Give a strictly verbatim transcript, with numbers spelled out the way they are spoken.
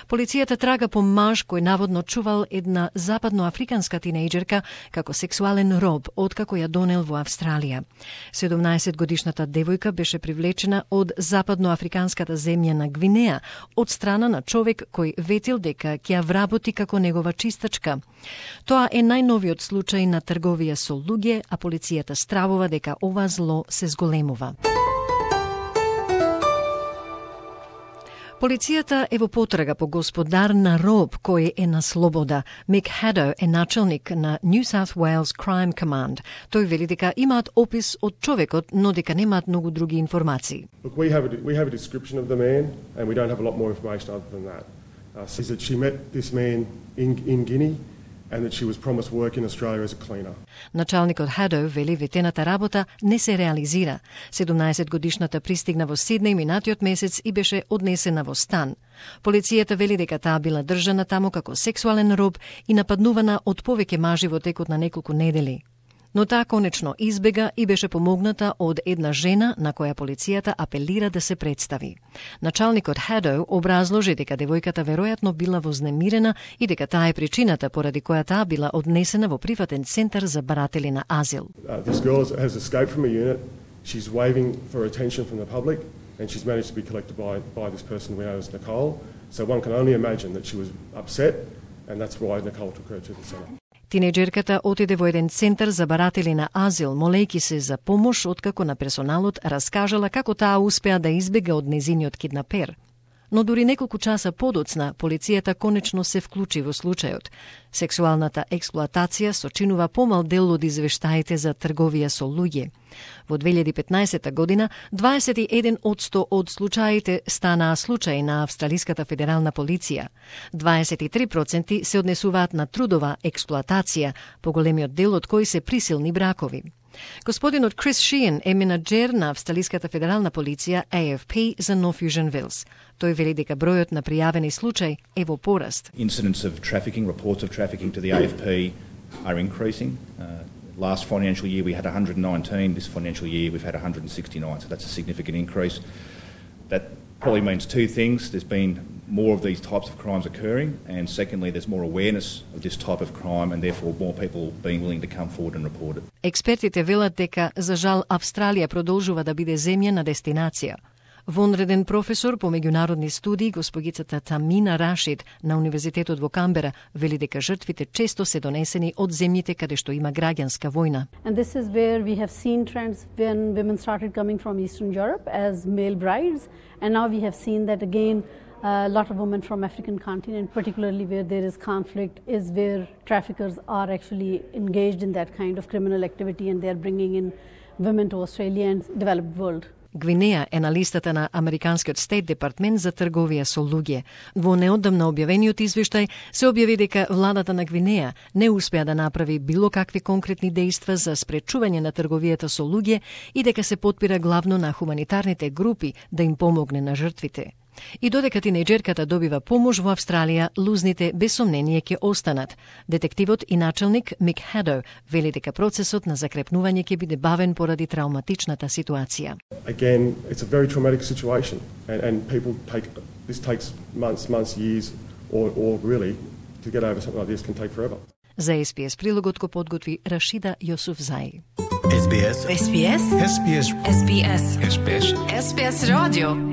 Полицијата трага по маж кој наводно чувал една западноафриканска тинејџерка како сексуален роб откако ја донел во Австралија. седумнаесет годишната девојка беше привлечена од западноафриканската земја на Гвинеја од страна на човек кој ветил дека ќе ја вработи како негова чистачка. Тоа е најновиот случај на трговија со луѓе, а полицијата стравува дека ова зло се зголемува. Полицијата е во потрага по господар на роб кој е на слобода. Мик Хадо е началник на New South Wales Crime Command. Тој вели дека имаат опис од човекот, но дека немаат многу други информации. Look, we have a, we have a description of the man and we don't have a lot more information other than that. Uh, says that she met this man in in Guinea and that she was promised work in Australia as a cleaner. Началникот Хадо вели ветената работа не се реализира. седумнаесет годишната пристигна во Сиднеј минатиот месец и беше однесена во стан. Полицијата вели дека таа била држана таму како сексуален роб и нападнувана од повеќе мажи во текот на неколку недели. Но таа конечно избега и беше помогната од една жена на која полицијата апелира да се представи. Началникот Хадо образложи дека девојката веројатно била вознемирена и дека таа е причината поради која таа била однесена во приватен центар за баратели на азил. Uh, this girl has escaped from a unit. She's waving for attention from the public and she's managed to be collected by by this person we know as Nicole. So one can only imagine that she was upset and that's why Nicole took her to the centre. Тинејџерката отиде во еден центар за баратели на азил, молејки се за помош откако на персоналот раскажала како таа успеа да избега од незиниот киднапер. Но дури неколку часа подоцна, полицијата конечно се вклучи во случајот. Сексуалната експлоатација сочинува помал дел од извештаите за трговија со луѓе. Во две илјади и петнаесета година, дваесет и еден одсто од случаите станаа случаи на Австралиската федерална полиција. дваесет и три проценти се однесуваат на трудова експлоатација, поголемиот дел од кои се присилни бракови. Господинот Крис Шиен е менаџер на Австралиската федерална полиција A F P за North Fusion Wills. Тој вели дека бројот на пријавени случаи е во пораст. Incidents of trafficking, reports of trafficking to the A F P are increasing. Uh, last financial year we had one hundred nineteen, this financial year we've had one hundred sixty-nine, so that's a significant increase. That probably means two things. There's been more of these types of crimes occurring, and secondly, there's more awareness of this type of crime, and therefore more people being willing to come forward and report it. Експертите велат дека, за жал, Австралија продолжува да биде земја на дестинација. Вонреден професор по меѓународни студии, госпогицата Тамина Рашид на Универзитетот во Камбера, вели дека жртвите често се донесени од земјите каде што има граѓанска војна. And this is where we have seen trends when women started coming from Eastern Europe as male brides, and now we have seen that again a lot of women from African continent, particularly where there is conflict, is where traffickers are actually engaged in that kind of criminal activity and they are bringing in women to Australia and developed world. Гвинеја е на листата на Американскиот Стейт Департмент за трговија со луѓе. Во неодамна објавениот извештај се објави дека владата на Гвинеја не успеа да направи било какви конкретни дејства за спречување на трговијата со луѓе и дека се потпира главно на хуманитарните групи да им помогне на жртвите. И додека тинејџерката добива помош во Австралија, лузните без сомнение ќе останат. Детективот и началник Мик Хадо вели дека процесот на закрепнување ќе биде бавен поради травматичната ситуација. Again, it's a very traumatic situation and, and people take, this takes months, months, years or, or really to get over something like this can take forever. За Ес Би Ес прилогот го подготви Рашида Јосуфзаи. Ес Би Ес. Ес Би Ес. Ес Би Ес. Ес Би Ес. Ес Би Ес. Ес Би Ес радио.